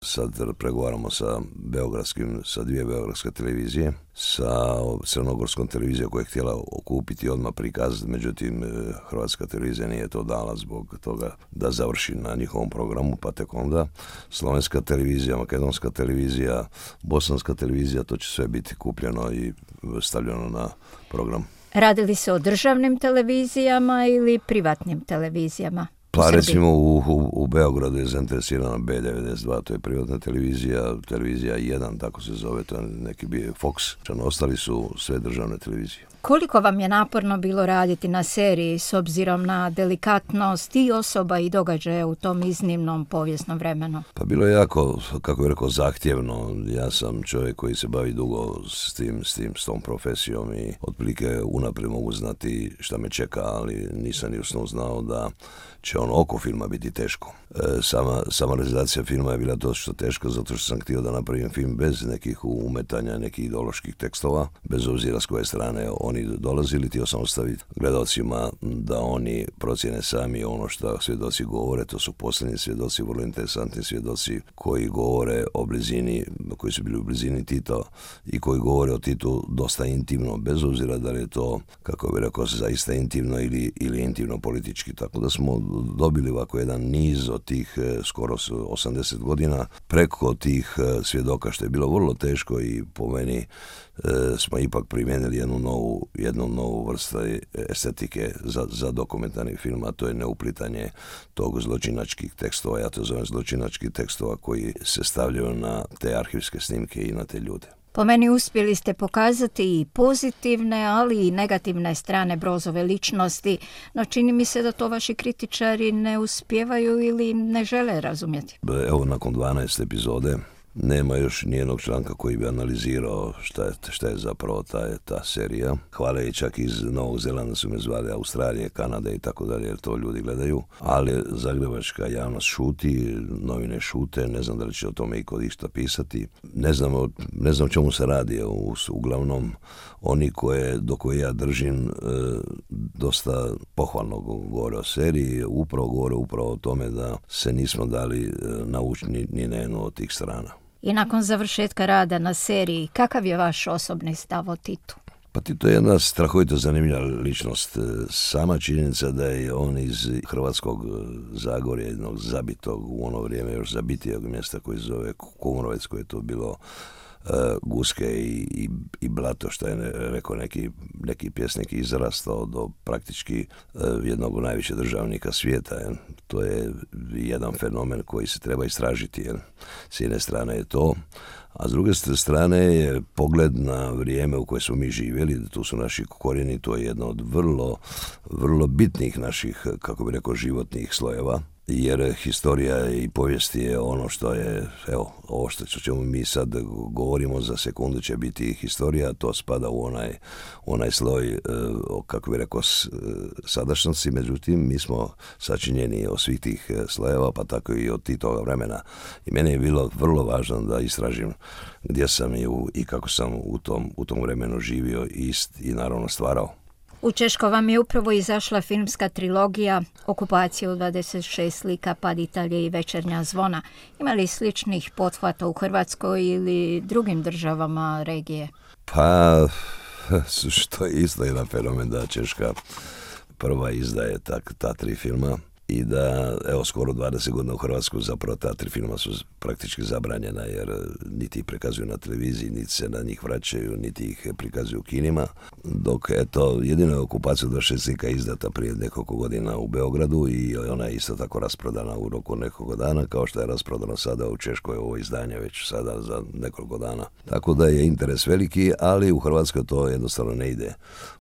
Sad pregovaramo sa dvije beogradske televizije, sa crnogorskom televizijom koja je htjela okupiti odmah prikaz, međutim Hrvatska televizija nije to dala zbog toga da završi na njihovom programu, pa tek onda slovenska televizija, makedonska televizija, bosanska televizija, to će sve biti kupljeno i stavljeno na program. Radili se o državnim televizijama ili privatnim televizijama? Pa recimo u Beogradu je zainteresirana B92, to je privatna televizija 1, tako se zove, to je neki bio Fox. Ostali su sve državne televizije. Koliko vam je naporno bilo raditi na seriji s obzirom na delikatnost i osoba i događaja u tom iznimnom povijesnom vremenu? Pa bilo je jako, kako bih rekao, zahtjevno. Ja sam čovjek koji se bavi dugo s tom profesijom i otprilike unaprijed mogu znati šta me čeka, ali nisam ni usno znao da će oko filma biti teško. Sama realizacija filma je bila dosta teška zato što sam htio da napravim film bez nekih umetanja, nekih ideoloških tekstova, bez obzira s koje strane oni dolazili, htio sam ostaviti gledalcima da oni procjene sami ono što svjedoci govore. To su posljednji svjedoci, vrlo interesantni svjedoci koji govore o blizini, koji su bili u blizini Tito i koji govore o Titu dosta intimno, bez obzira da li je to, kako bih rekao, zaista intimno ili intimno politički. Tako da smo dobili ovako jedan niz od tih skoro 80 godina preko tih svjedoka, što je bilo vrlo teško i po meni smo ipak primijenili jednu novu vrstu estetike za dokumentarni film, a to je neuplitanje tog zločinačkih tekstova, ja to zovem zločinačkih tekstova koji se stavljaju na te arhivske snimke i na te ljude. Po meni uspjeli ste pokazati i pozitivne, ali i negativne strane Brozove ličnosti, no čini mi se da to vaši kritičari ne uspijevaju ili ne žele razumjeti. Evo, nakon 12 epizode nema još nijednog članka koji bi analizirao šta je zapravo ta serija. Hvale i čak iz Novog Zelanda su me zvali, Australije, Kanade i tako dalje, jer to ljudi gledaju. Ali zagrebačka javnost šuti, novine šute, ne znam da li će o tome iko išta pisati. Ne znam o čemu se radi. Uglavnom, oni do koje ja držim dosta pohvalno govore o seriji, govore upravo o tome da se nismo dali naučiti ni na jednu od tih strana. I nakon završetka rada na seriji, kakav je vaš osobni stav o Titu? Pa Tito je jedna strahovito zanimljiva ličnost. Sama činjenica da je on iz Hrvatskog Zagorja, jednog zabitog, u ono vrijeme još zabitijeg mjesta koji se zove Kumrovec, koje je to bilo guske i blato, što je rekao neki pjesnik, izrastao do praktički jednog od najviše državnika svijeta. To je jedan fenomen koji se treba istražiti. S jedne strane je to, a s druge strane je pogled na vrijeme u koje smo mi živjeli, tu su naši korijeni, to je jedno od vrlo, vrlo bitnih naših, kako bi rekao, životnih slojeva. Jer historija i povijest je ono što je, evo, ovo što ćemo mi sad govorimo za sekundu će biti historija, to spada u onaj sloj, kako bi rekao, sadašnjosti, međutim mi smo sačinjeni od svih tih slojeva, pa tako i od toga vremena. I meni je bilo vrlo važno da istražim gdje sam i kako sam u tom vremenu živio i naravno stvarao. U Češkoj vam je upravo izašla filmska trilogija Okupacija u 26 slika, Pad Italije i Večernja zvona. Ima li sličnih pothvata u Hrvatskoj ili drugim državama regije? Pa, što je isto jedan fenomen da Češka prva izdaje ta 3 filma. I da, evo, skoro 20 godina u Hrvatsku zapravo ta 3 filma su praktički zabranjena, jer niti ih prikazuju na televiziji, niti se na njih vraćaju, niti ih prikazuju u kinima. Dok, eto, jedino je Okupacija 26 slika izdata prije nekoliko godina u Beogradu i ona je isto tako rasprodana u roku nekoliko dana, kao što je rasprodano sada u Češkoj ovo izdanje već sada za nekoliko dana. Tako da je interes veliki, ali u Hrvatskoj to jednostavno ne ide.